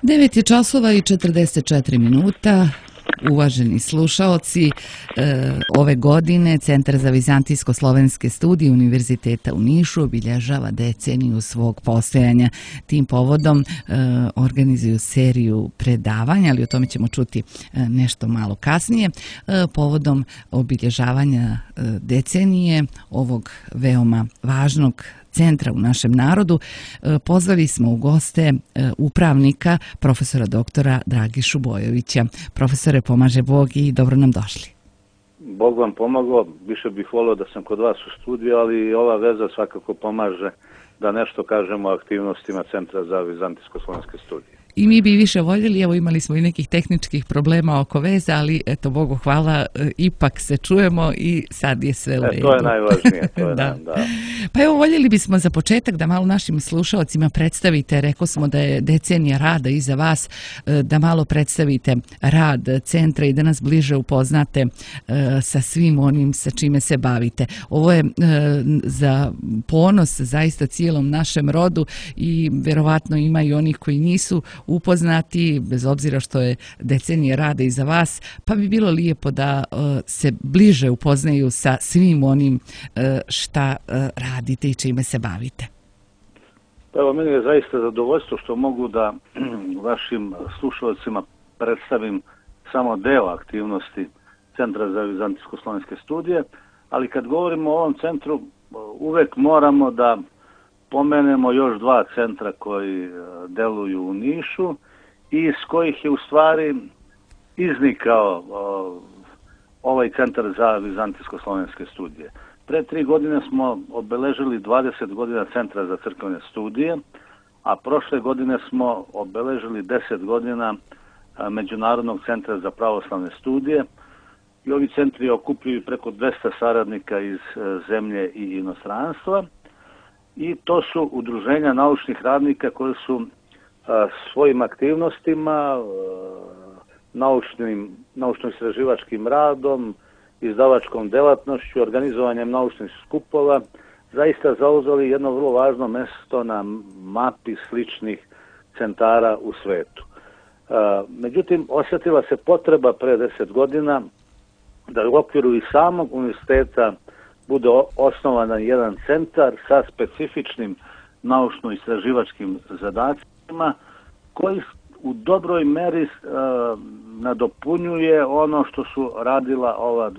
9 je časova i 44 minuta. Uvaženi slušaoci, ove godine Centar za vizantijsko-slovenske studije Univerziteta u Nišu obilježava deceniju svog postojanja. Tim povodom organizuju seriju predavanja, ali o tome ćemo čuti nešto malo kasnije. Povodom obilježavanja decenije ovog veoma važnog centra u našem narodu, pozvali smo u goste upravnika, profesora doktora Dragišu Bojovića. Profesore, pomaže Bog i dobro nam došli. Bog vam pomogao, više bih volio da sam kod vas u studiju, ali ova veza svakako pomaže da nešto kažemo o aktivnostima Centra za vizantijsko-slovenske studije. I mi bi više voljeli, evo imali smo i nekih tehničkih problema oko veze, ali eto, Bogu hvala, ipak se čujemo i sad je sve u redu. To je najvažnije. Da. Pa evo, voljeli bismo za početak da malo našim slušalcima predstavite, rekao smo da je decenija rada iza vas, da malo predstavite rad centra i da nas bliže upoznate sa svim onim sa čime se bavite. Ovo je za ponos zaista cijelom našem rodu i verovatno ima i onih koji nisu upoznati, bez obzira što je decenija rada iza vas, pa bi bilo lijepo da se bliže upoznaju sa svim onim šta radite i čime se bavite. Evo, meni je zaista zadovoljstvo što mogu da vašim slušalcima predstavim samo deo aktivnosti Centra za vizantijsko-slovenske studije, ali kad govorimo o ovom centru, uvek moramo da pomenemo još dva centra koji deluju u Nišu i iz kojih je u stvari iznikao ovaj Centar za vizantijsko-slovenske studije. Pre 3 godine smo obeležili 20 godina Centra za crkvene studije, a prošle godine smo obeležili 10 godina Međunarodnog centra za pravoslavne studije i ovi centri okupljaju preko 200 saradnika iz zemlje i inostranstva. I to su udruženja naučnih radnika koji su svojim aktivnostima, naučno-istraživačkim radom, izdavačkom delatnošću, organizovanjem naučnih skupova, zaista zauzeli jedno vrlo važno mesto na mapi sličnih centara u svetu. Međutim, osjetila se potreba pre 10 godina da u okviru i samog univerziteta bude osnovan jedan centar sa specifičnim naučno-istraživačkim zadacima koji u dobroj meri nadopunjuje ono što su radila ova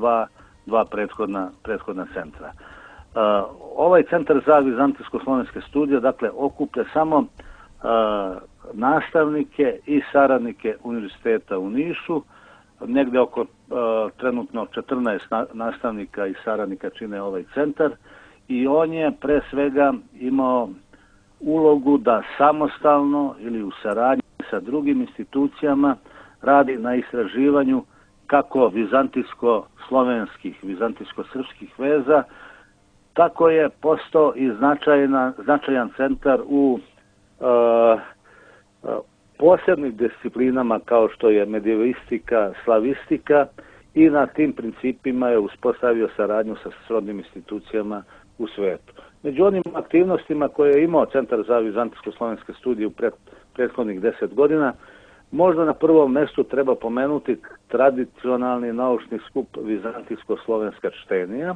dva prethodna centra. Ovaj centar za vizantijsko-slovenske studije, dakle, okuplja samo nastavnike i saradnike univerziteta u Nišu. Negde oko trenutno 14 nastavnika i saradnika čine ovaj centar i on je pre svega imao ulogu da samostalno ili u saradnji sa drugim institucijama radi na istraživanju kako vizantijsko-slovenskih, vizantijsko-srpskih veza, tako je postao i značajan centar u posebnim disciplinama kao što je medievistika, slavistika i na tim principima je uspostavio saradnju sa srodnim institucijama u svetu. Među onim aktivnostima koje je imao Centar za vizantijsko-slovenske studije u prethodnih 10 godina, možda na prvom mjestu treba pomenuti tradicionalni naučni skup vizantijsko-slovenska čtenija.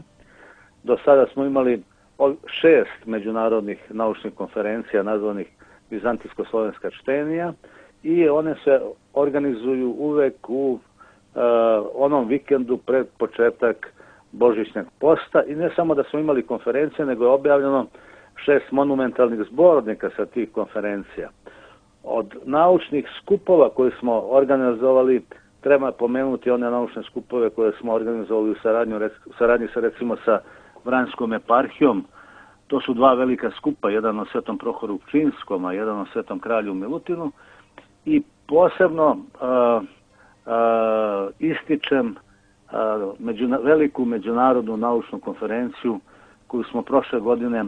Do sada smo imali 6 međunarodnih naučnih konferencija nazvanih vizantijsko-slovenska čtenija i one se organizuju uvek u onom vikendu pred početak Božićnog posta i ne samo da smo imali konferencije, nego je objavljeno 6 monumentalnih zbornika sa tih konferencija. Od naučnih skupova koje smo organizovali treba pomenuti one naučne skupove koje smo organizovali u saradnji sa recimo sa Vranjskom eparhijom. To su dva velika skupa, jedan o Svetom Prohoru Pčinskom, a jedan o Svetom Kralju Milutinu. I posebno ističem veliku međunarodnu naučnu konferenciju koju smo prošle godine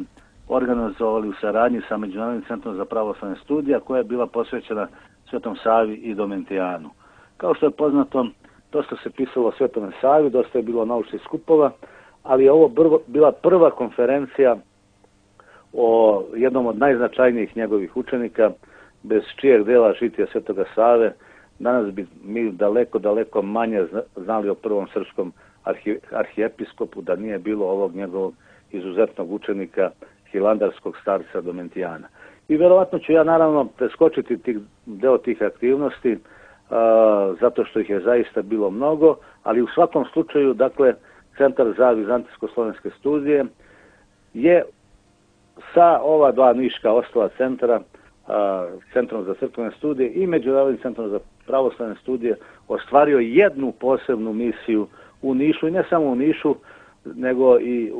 organizovali u saradnji sa Međunarodnim centrom za pravoslavne studije, koja je bila posvećena Svetom Savi i Domentijanu. Kao što je poznato, dosta se pisalo o Svetome Savi, dosta je bilo naučnih skupova, ali je ovo bila prva konferencija o jednom od najznačajnijih njegovih učenika, bez čijeg dela žitija Svetoga Save, danas bi mi daleko manje znali o prvom srpskom arhijepiskopu da nije bilo ovog njegovog izuzetnog učenika, hilandarskog starca Domentijana. I verovatno ću ja naravno preskočiti deo tih aktivnosti, zato što ih je zaista bilo mnogo, ali u svakom slučaju, dakle, Centar za vizantijsko-slovenske studije je sa ova dva niška ostala centra, Centrom za crkvene studije i Međunarodnim centrom za pravoslavne studije, ostvario jednu posebnu misiju u Nišu, i ne samo u Nišu, nego i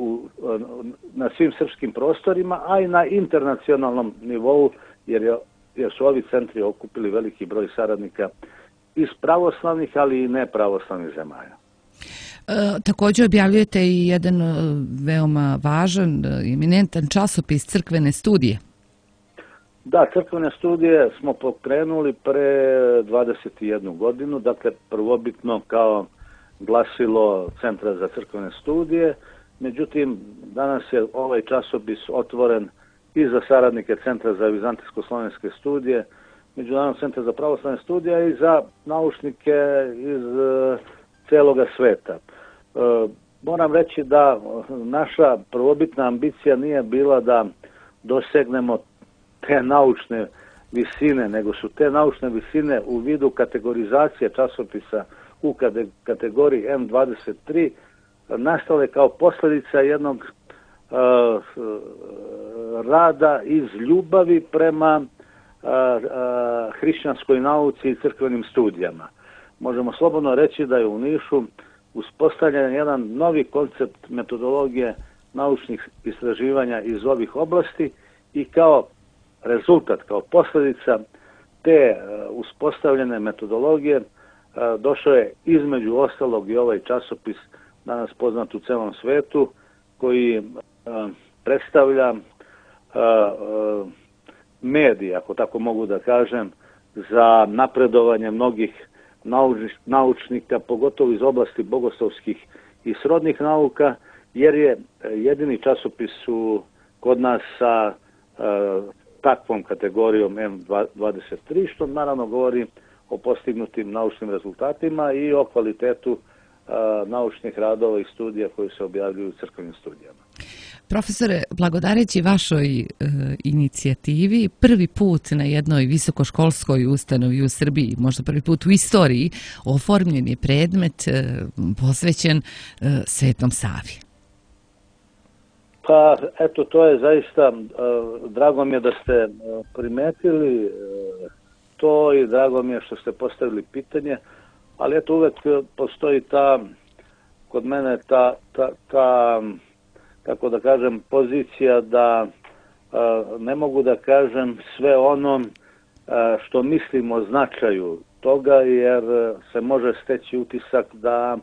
na svim srpskim prostorima, a i na internacionalnom nivou, jer su ovi centri okupili veliki broj saradnika iz pravoslavnih, ali i nepravoslavnih zemalja. Također objavljujete i jedan veoma važan, eminentan časopis Crkvene studije. Da, Crkvene studije smo pokrenuli pre 21 godinu, dakle prvobitno kao glasilo Centra za crkvene studije, međutim danas je ovaj časopis otvoren i za saradnike Centra za vizantijsko-slovenske studije, Međunarodnog centra za pravoslavne studije i za naučnike iz celoga sveta. Moram reći da naša prvobitna ambicija nije bila da dosegnemo te naučne visine, nego su te naučne visine u vidu kategorizacije časopisa u kategoriji M23 nastale kao posljedica jednog rada iz ljubavi prema hrišćanskoj nauci i crkvenim studijama. Možemo slobodno reći da je u Nišu uspostavljen jedan novi koncept metodologije naučnih istraživanja iz ovih oblasti i kao rezultat, kao posljedica te uspostavljene metodologije došao je između ostalog i ovaj časopis danas poznat u celom svetu, koji predstavlja medij, ako tako mogu da kažem, za napredovanje mnogih naučnika, pogotovo iz oblasti bogoslovskih i srodnih nauka, jer je jedini časopis kod nas sa takvom kategorijom M23, što naravno govori o postignutim naučnim rezultatima i o kvalitetu naučnih radova i studija koji se objavljuju u crkvenim studijama. Profesore, blagodareći vašoj inicijativi, prvi put na jednoj visokoškolskoj ustanovi u Srbiji, možda prvi put u istoriji, oformljen je predmet posvećen Svetom Savi. Pa, eto, to je zaista, drago mi je da ste primetili to i drago mi je što ste postavili pitanje, ali eto, uvek postoji kod mene ta kako da kažem, pozicija da ne mogu da kažem sve ono što mislim o značaju toga, jer se može steći utisak da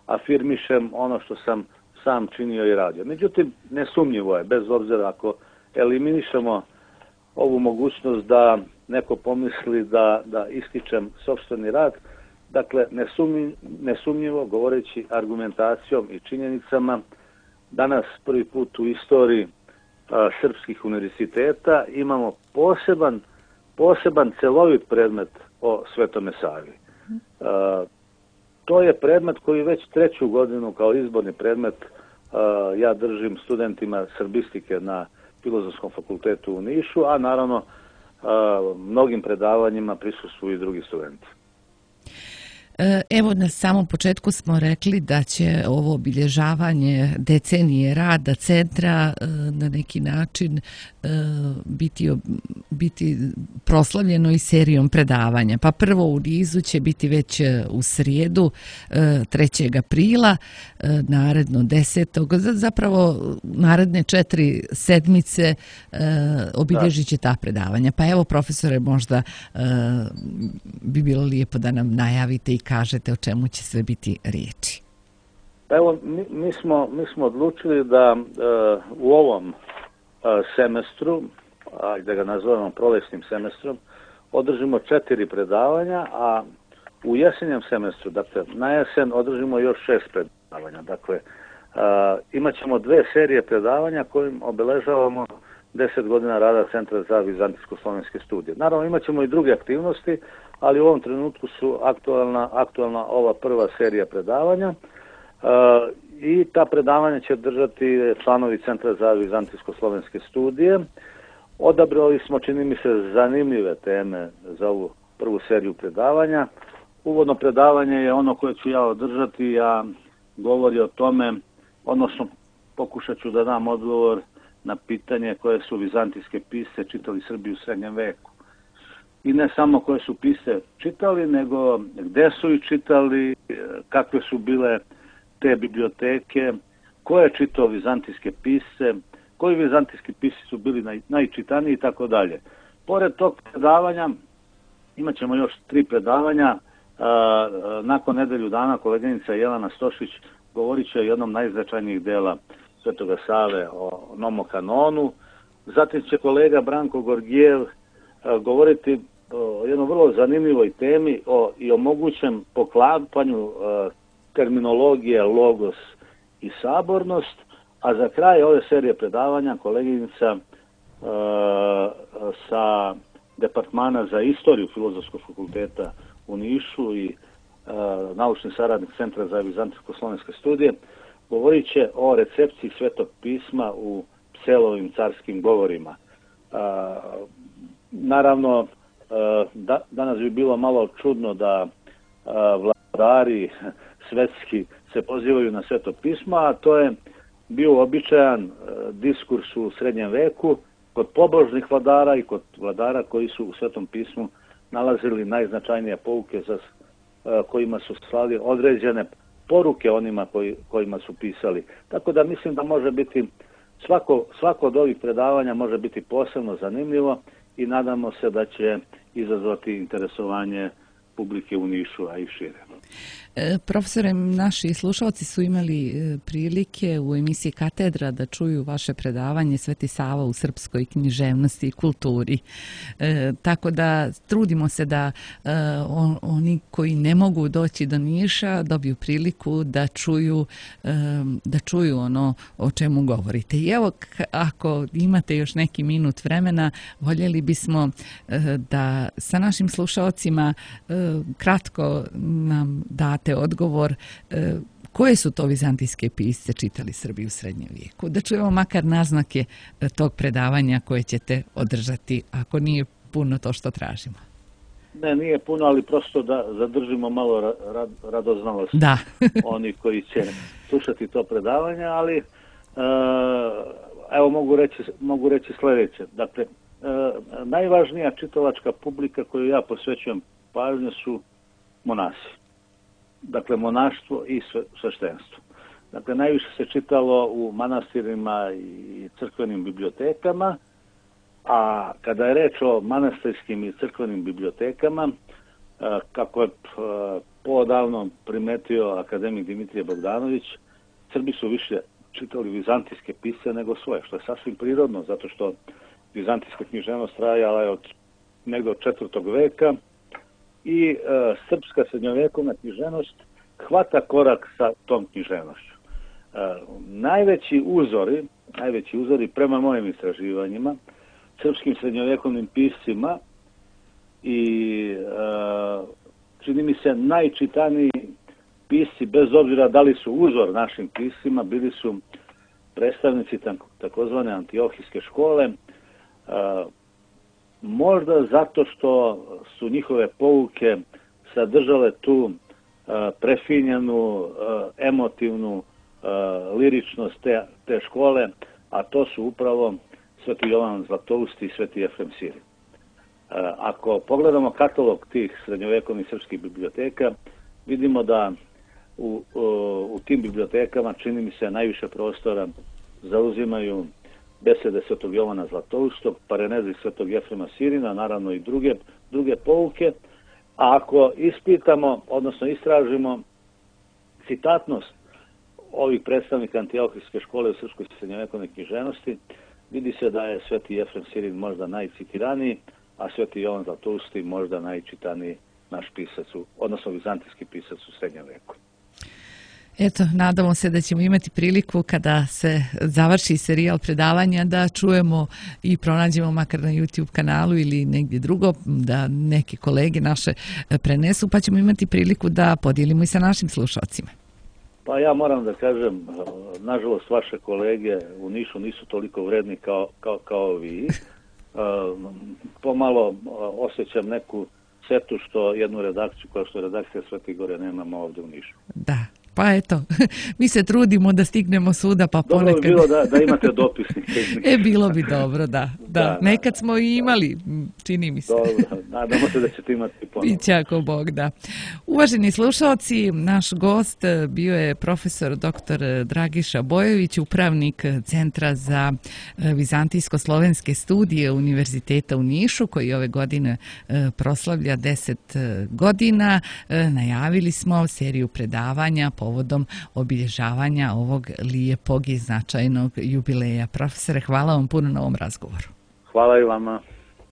afirmišem ono što sam sam činio i radio. Međutim, nesumnjivo je, bez obzira ako eliminišemo ovu mogućnost da neko pomisli da ističem sopstveni rad, dakle, nesumnjivo, govoreći argumentacijom i činjenicama, danas prvi put u istoriji srpskih univerziteta imamo poseban celovit predmet o Svetome Savi. To je predmet koji već 3. godinu kao izborni predmet ja držim studentima srbistike na Filozofskom fakultetu u Nišu, a naravno mnogim predavanjima prisustvuju i drugi studenti. Evo, na samom početku smo rekli da će ovo obilježavanje decenije rada centra na neki način biti proslavljeno i serijom predavanja. Pa prvo u nizu će biti već u srijedu 3. aprila, naredno 10. Zapravo naredne 4 sedmice obilježit će ta predavanja. Pa evo, profesore, možda bi bilo lijepo da nam najavite i kažete o čemu će sve biti riječi. Evo, mi smo odlučili da u ovom semestru, da ga nazovemo prolesnim semestrom, održimo 4 predavanja, a u jesenjem semestru, dakle na jesen, održimo još 6 predavanja. Dakle, imat ćemo 2 serije predavanja kojim obeležavamo 10 godina rada Centra za vizantijsko-slovenske studije. Naravno, imat ćemo i druge aktivnosti, ali u ovom trenutku su aktualna ova prva serija predavanja i ta predavanja će držati članovi Centra za vizantijsko-slovenske studije. Odabrali smo, čini mi se, zanimljive teme za ovu prvu seriju predavanja. Uvodno predavanje je ono koje ću ja održati, a govori o tome, odnosno pokušat ću da dam odgovor na pitanje koje su vizantijske pisce čitali Srbi u srednjem veku. I ne samo koje su pisce čitali, nego gde su ih čitali, kakve su bile te biblioteke, ko je čitao vizantijske pisce, koji vizantijski pisci su bili najčitaniji i tako dalje. Pored tog predavanja imat ćemo još 3 predavanja. Nakon nedelju dana koleginica Jelena Stošić govorit će o jednom najznačajnijih dela Svetoga Save, o nomokanonu. Zatim će kolega Branko Gorgijev govoriti o jednoj vrlo zanimljivoj temi i o mogućem poklapanju terminologije logos i sabornost, a za kraj ove serije predavanja koleginica sa Departmana za istoriju Filozofskog fakulteta u Nišu i naučni saradnik Centra za vizantijsko-slovenske studije govorit će o recepciji Svetog pisma u Pselovim carskim govorima. Naravno, danas bi bilo malo čudno da vladari svetski se pozivaju na Sveto pismo, a to je bio običajan diskurs u srednjem veku kod pobožnih vladara i kod vladara koji su u Svetom pismu nalazili najznačajnije pouke kojima su slali određene poruke onima kojima su pisali. Tako da mislim da može biti svako od ovih predavanja može biti posebno zanimljivo i nadamo se da će izazvati interesovanje publike u Nišu, a i šire. Profesore, naši slušalci su imali prilike u emisiji Katedra da čuju vaše predavanje Sveti Sava u srpskoj književnosti i kulturi. Tako da trudimo se da oni koji ne mogu doći do Niša dobiju priliku da čuju ono o čemu govorite. I evo, ako imate još neki minut vremena, voljeli bismo da sa našim slušalcima kratko nam date odgovor koje su to vizantijske pisce čitali Srbi u srednjem vijeku. Da čujemo makar naznake tog predavanja koje ćete održati, ako nije puno to što tražimo. Ne, nije puno, ali prosto da zadržimo malo radoznalost oni koji će slušati to predavanje, ali evo mogu reći sljedeće. Dakle, najvažnija čitalačka publika koju ja posvećujem pažnju su monasi. Dakle, monaštvo i sveštenstvo. Dakle, najviše se čitalo u manastirima i crkvenim bibliotekama, a kada je reč o manastirskim i crkvenim bibliotekama, kako je poodavno primetio akademik Dimitrije Bogdanović, Srbi su više čitali vizantijske pisce nego svoje, što je sasvim prirodno, zato što vizantijska književnost trajala je od 4. veka, i srpska srednjovekovna književnost hvata korak sa tom književnošću. Najveći uzori prema mojim istraživanjima srpskim srednjovekovnim piscima i čini mi se najčitaniji pisci, bez obzira da li su uzor našim piscima, bili su predstavnici takozvane antiohijske škole, možda zato što su njihove pouke sadržale tu prefinjenu, emotivnu liričnost te škole, a to su upravo Sveti Jovan Zlatousti i Sveti Jefrem Sirin. Ako pogledamo katalog tih srednjovekovnih srpskih biblioteka, vidimo da u tim bibliotekama, čini mi se, najviše prostora zauzimaju besede Svetog Jovana Zlatoustog, Parenezi Svetog Jefrema Sirina, naravno i druge pouke. A ako ispitamo, odnosno istražimo citatnost ovih predstavnika antiohijske škole u srpskoj srednjovekovnoj književnosti, vidi se da je Sveti Jefrem Sirin možda najcitiraniji, a Sveti Jovan Zlatousti možda najčitaniji naš pisac, odnosno vizantijski pisac u srednjem veku. Eto, nadamo se da ćemo imati priliku kada se završi serijal predavanja da čujemo i pronađemo makar na YouTube kanalu ili negdje drugo, da neke kolege naše prenesu, pa ćemo imati priliku da podijelimo i sa našim slušalcima. Pa ja moram da kažem, nažalost vaše kolege u Nišu nisu toliko vredni kao vi. Pomalo osjećam neku setu što jednu redakciju kao što je redakcija Svete Gore nemamo ovdje u Nišu. Da. Pa eto, mi se trudimo da stignemo svuda, pa ponekad... Dobro bi bilo da imate dopisnike. Bilo bi dobro, da. Nekad smo i imali, čini mi se. Dobro, nadamo se da ćete imati ponovno. Biće ako Bog, da. Uvaženi slušalci, naš gost bio je profesor dr. Dragiša Bojović, upravnik Centra za vizantijsko-slovenske studije Univerziteta u Nišu, koji ove godine proslavlja 10 godina. Najavili smo seriju predavanja povodom obilježavanja ovog lijepog i značajnog jubileja. Profesore, hvala vam puno na ovom razgovoru. Hvala i vama.